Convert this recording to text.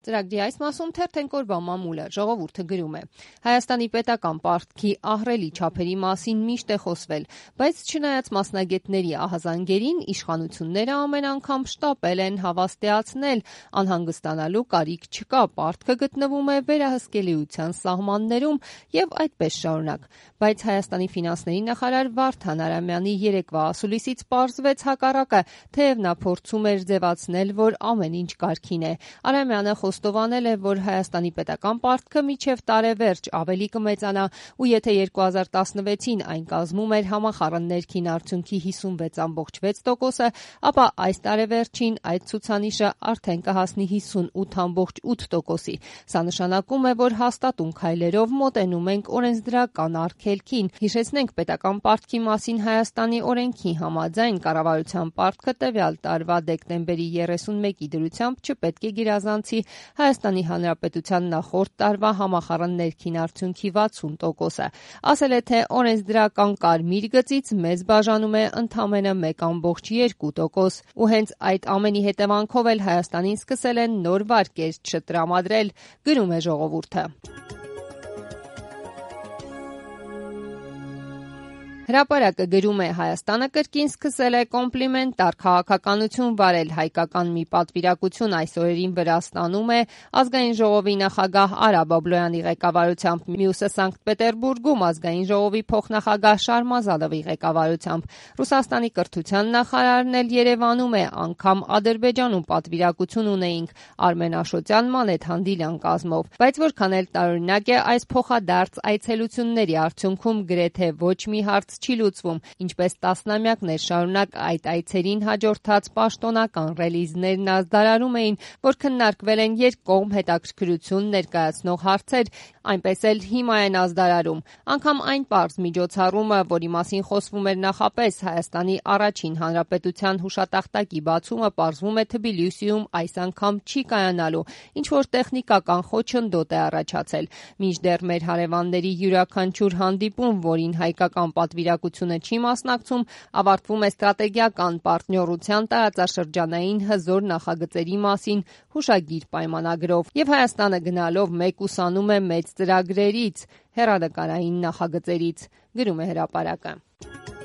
Ծրագրի այս մասում թերթենք օրվա մամուլը, ժողովուրդը գրում է. Հայաստանի պետական պարտքի ահռելի չափերի մասին միշտ է խոսվել, բայց չնայած մասնագետների ահազանգերին, իշխանությունները ամեն անգամ շտապել են հավաստիացնել, անհանգստանալու կարիք չկա, պարտքը գտնվում է վերահսկելիության սահմաններում եւ այդպես շարունակ։ Բայց Հայաստանի ֆինանսների նախարար Վարդան Արամյանի երեկվա ասուլիսից պարզվեց հակառակը, թեև նա փորձում էր ձևացնել, որ ամեն ինչ կարգին է։ Արամյանը խոստովանել է, որ Հայաստանի պետական պարտքը մինչև տարեվերջ ավելի կմեծանա ու եթե 2016-ին այն կազմում էր համախառն ներքին արդյունքի 56.6%, ապա այս տարեվերջին այդ ցուցանիշը արդեն կհասնի 58.8%-ի։ Սա նշանակում է, որ հաստատուն քայլերով մոտենում ենք օրենսդրական արգելքին։ Հիշեցնենք, պետական պարտքի մասին Հայաստանի օրենքի համաձայն կառավարության պարտքը տվյալ տարվա դեկտեմբերի 31-ի դրությամբ չպետք է գերազանցի Հայաստանի Հանրապետության նախորդ տարվա համախառն ներքին արդյունքի 60%-ը։ Ասել է, թե օրենսդրական կարմիր գծից մեզ բաժանում է ընդամենը 1.2%, ու հենց այդ ամենի հետևանքով էլ Հայաստանին սկսել են նոր վարկեր չտրամադրել, գրում է ժողովուրդը։ Հրապարակը գրում է. Հայաստանը կրկին սկսել է կոմպլիմենտար քաղաքականություն վարել, հայկական մի պատվիրակություն այս օրերին Վրաստանում է ազգային ժողովի նախագահ Արա Բաբլոյանի ղեկավարությամբ, մյուսը Սանկտ Պետերբուրգում ազգային ժողովի փոխնախագահ Շարմազադովի ղեկավարությամբ։ Ռուսաստանի կրթության նախարարն էլ Երևանում է, անգամ Ադրբեջանում պատվիրակություն ունեինք Արմեն Աշոտյան, Մանեթ Հանդիլյան կազմով։ Բայց որքան էլ տարօրինակ է, այս փոխադարձ այցելությունների արդյունքում գրեթե ոչ մի հարց չի լուծվում, ինչպես տասնամյակներ շարունակ այդ այցերին հաջորդած պաշտոնական ռելիզներն ազդարարում էին, որ քննարկվել են երկկողմ հետաքրքրություն ներկայացնող հարցեր, այնպես էլ հիմա են ազդարարում։ Անգամ այն պարզ միջոցառումը, որի մասին խոսվում էր նախապես, Հայաստանի առաջին հանրապետության հուշատախտակի բացումը, պարզվում է Թբիլիսիում այս անգամ չի կայանալու, ինչ-որ տեխնիկական խոչընդոտ է առաջացել։ Մինչդեռ մեր հարևանների յուրաքանչյուր հանդիպում, որին հայկական պատվիրակությունը չի մասնակցում, ավարտվում է ստրատեգիական պարտներության տարածաշրջանային հզոր նախագծերի մասին հուշագիր պայմանագրով, եւ Հայաստանը գնալով մեկուսանում է մեծ ծրագրերից, հեռանկարային նախագծերից, գրում է հրապարակը։